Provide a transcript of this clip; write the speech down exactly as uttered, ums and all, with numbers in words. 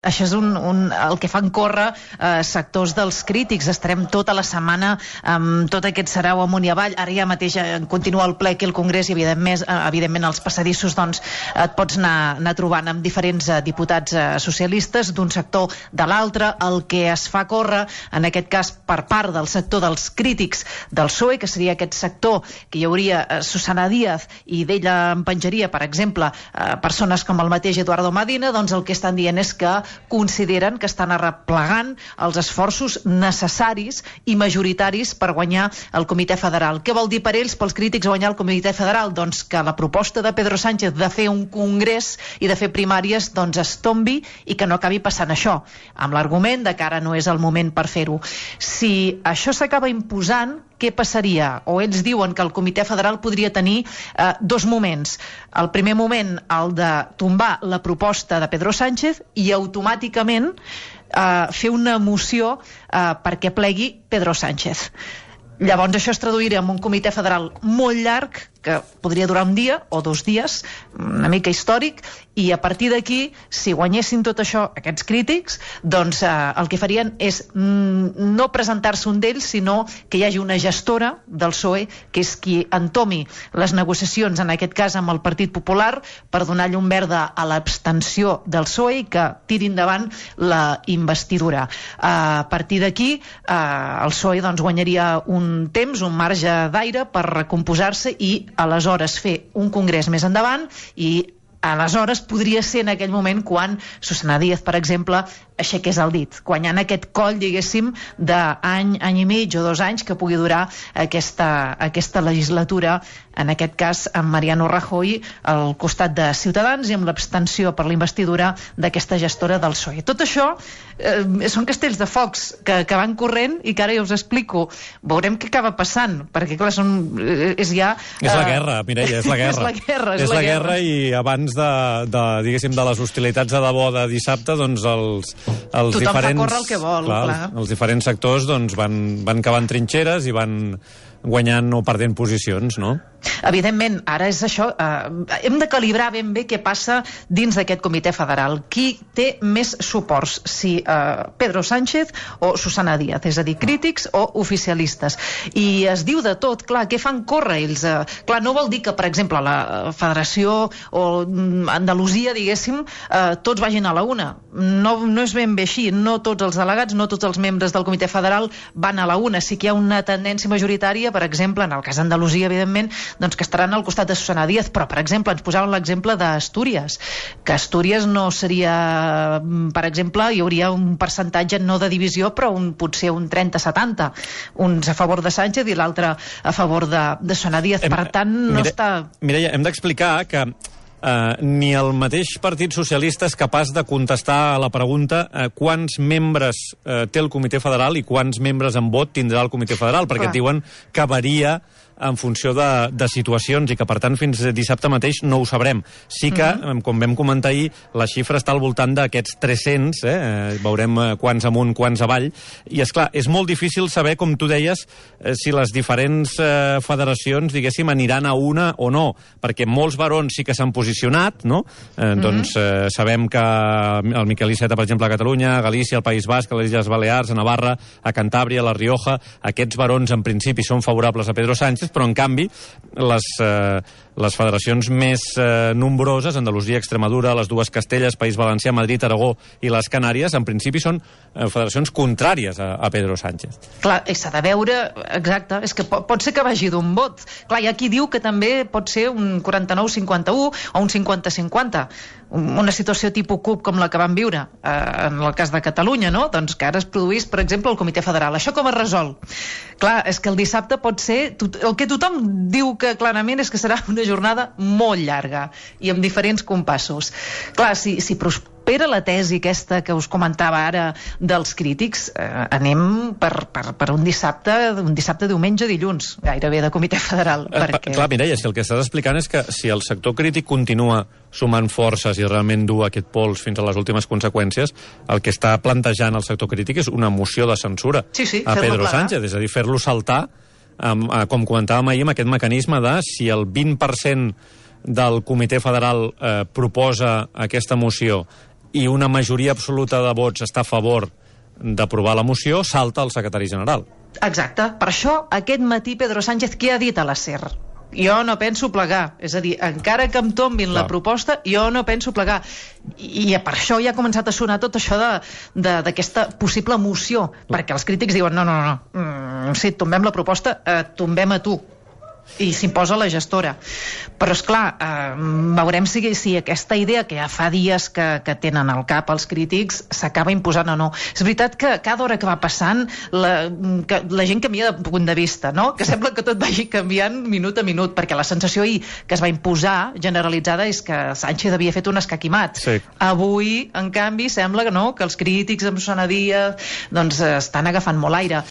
Això és un, un, el que fan córrer eh, sectors dels crítics. Estarem tota la setmana amb tot aquest sarau amunt i avall. Ara ja mateix eh, continua el ple aquí al Congrés i evidentment, eh, evidentment als passadissos doncs, et pots anar, anar trobant amb diferents eh, diputats eh, socialistes d'un sector de l'altre. El que es fa córrer, en aquest cas per part del sector dels crítics del P S O E, que seria aquest sector que hi hauria eh, Susana Díaz i d'ella en penjaria, per exemple, eh, persones com el mateix Eduardo Medina, doncs el que estan dient és que consideren que estan arreplegant els esforços necessaris i majoritaris per guanyar el Comitè Federal. Què vol dir per ells, pels crítics, guanyar el Comitè Federal? Doncs que la proposta de Pedro Sánchez de fer un congrés i de fer primàries doncs es tombi i que no acabi passant això, amb l'argument de que ara no és el moment per fer-ho. Si això s'acaba imposant, què passaria? O ells diuen que el Comitè Federal podria tenir eh, dos moments. El primer moment, el de tombar la proposta de Pedro Sánchez i automàticament eh, fer una moció eh, perquè plegui Pedro Sánchez. Llavors això es traduiria en un Comitè Federal molt llarg, que podria durar un dia o dos dies, una mica històric, i a partir d'aquí, si guanyessin tot això aquests crítics, doncs eh, el que farien és mm, no presentar-se un d'ells, sinó que hi hagi una gestora del P S O E, que és qui entomi les negociacions, en aquest cas amb el Partit Popular, per donar llum verda a l'abstenció del P S O E i que tiri endavant la investidura. Eh, a partir d'aquí, eh, el P S O E doncs, guanyaria un temps, un marge d'aire per recomposar-se i aleshores fer un congrés més endavant, i aleshores podria ser en aquell moment quan Susana Díaz, per exemple, aixequés el dit, guanyant aquest coll, diguéssim, d'any, any i mig o dos anys que pugui durar aquesta, aquesta legislatura, en aquest cas amb Mariano Rajoy al costat de Ciutadans i amb l'abstenció per la investidura d'aquesta gestora del P S O E. Tot això eh, són castells de focs que, que van corrent i que ara ja us explico. Veurem què acaba passant, perquè clar, són, és ja... És la guerra, Mireia, és la guerra. és la guerra, és, és la, la guerra. guerra i abans de, de, diguéssim, de les hostilitats de debò de dissabte, doncs els, els Tothom diferents... fa córrer el que vol, clar, clar. Els, els diferents sectors doncs, van, van cavant trinxeres i van guanyant o perdent posicions, no? Evidentment, ara és això, eh, hem de calibrar ben bé què passa dins d'aquest Comitè Federal. Qui té més suports, si eh, Pedro Sánchez o Susana Díaz, és a dir, crítics o oficialistes. I es diu de tot, clar, què fan córrer ells? Eh, clar, no vol dir que, per exemple, la Federació o Andalusia, diguéssim, eh, tots vagin a la una. No, no és ben bé així, no tots els delegats, no tots els membres del Comitè Federal van a la una. Sí que hi ha una tendència majoritària, per exemple, en el cas d'Andalusia, evidentment, doncs que estaran al costat de Susana Díaz, però, per exemple, ens posàvem l'exemple d'Astúries, que Astúries no seria, per exemple, hi hauria un percentatge no de divisió, però un, potser un trenta setanta, uns a favor de Sánchez i l'altre a favor de, de Susana Díaz. Per tant, no Mire, està... Mireia, hem d'explicar que Uh, ni el mateix Partit Socialista és capaç de contestar a la pregunta uh, quants membres uh, té el Comitè Federal i quants membres en vot tindrà el Comitè Federal, perquè et diuen que varia en funció de, de situacions i que, per tant, fins dissabte mateix no ho sabrem. Sí que, mm-hmm. com vam comentar ahir, la xifra està al voltant d'aquests tres-cents, eh? Veurem quants amunt, quants avall, i, és clar, és molt difícil saber, com tu deies, eh, si les diferents eh, federacions, diguéssim, aniran a una o no, perquè molts barons sí que s'han posicionat, no? Eh, mm-hmm. Doncs eh, sabem que el Miquel Iceta, per exemple, a Catalunya, a Galícia, al País Basc, a les Illes Balears, a Navarra, a Cantàbria, a la Rioja, aquests barons, en principi, són favorables a Pedro Sánchez, però en canvi les, eh, les federacions més eh, nombroses, Andalusia, Extremadura, les dues Castelles, País Valencià, Madrid, Aragó i les Canàries, en principi són eh, federacions contràries a, a Pedro Sánchez. Clar, s'ha de veure, exacte, és que pot, pot ser que vagi d'un vot. Clar, hi ha qui diu que també pot ser un quaranta-nou cinquanta-u o un cinquanta cinquanta, una situació tipus CUP com la que vam viure eh, en el cas de Catalunya, no? Doncs que ara es produís, per exemple, el Comitè Federal. Això com es resol? Clar, és que el dissabte pot ser... El que tothom diu que clarament és que serà una jornada molt llarga i amb diferents compassos. Clar, si, si prospera la tesi aquesta que us comentava ara dels crítics, eh, anem per, per, per un dissabte, un dissabte, diumenge, dilluns, gairebé de Comitè Federal. Eh, perquè... Clar, Mireia, si el que estàs explicant és que si el sector crític continua sumant forces i realment dur aquest pols fins a les últimes conseqüències, el que està plantejant el sector crític és una moció de censura sí, sí, a Pedro Sánchez, és a dir, fer-lo saltar, um, uh, com comentàvem ahir, amb aquest mecanisme de si el vint per cent del Comitè Federal eh, proposa aquesta moció i una majoria absoluta de vots està a favor d'aprovar la moció, salta el secretari general. Exacte. Per això, aquest matí Pedro Sánchez què ha dit a la SER? Jo no penso plegar, és a dir, encara que em tombin Clar. la proposta, jo no penso plegar. I, i per això ja ha començat a sonar tot això d'aquesta possible moció, Clar. perquè els crítics diuen no, no, no, mm, sí, tombem la proposta, eh, tombem a tu, i s'imposa la gestora. Però, esclar, eh, veurem si, si aquesta idea que ja fa dies que, que tenen al cap els crítics s'acaba imposant o no. És veritat que cada hora que va passant la, que la gent canvia de punt de vista, no? Que sembla que tot vagi canviant minut a minut, perquè la sensació ahir que es va imposar generalitzada és que Sánchez havia fet un escaquimat. Sí. Avui, en canvi, sembla que no, que els crítics amb sonadia doncs, estan agafant molt aire.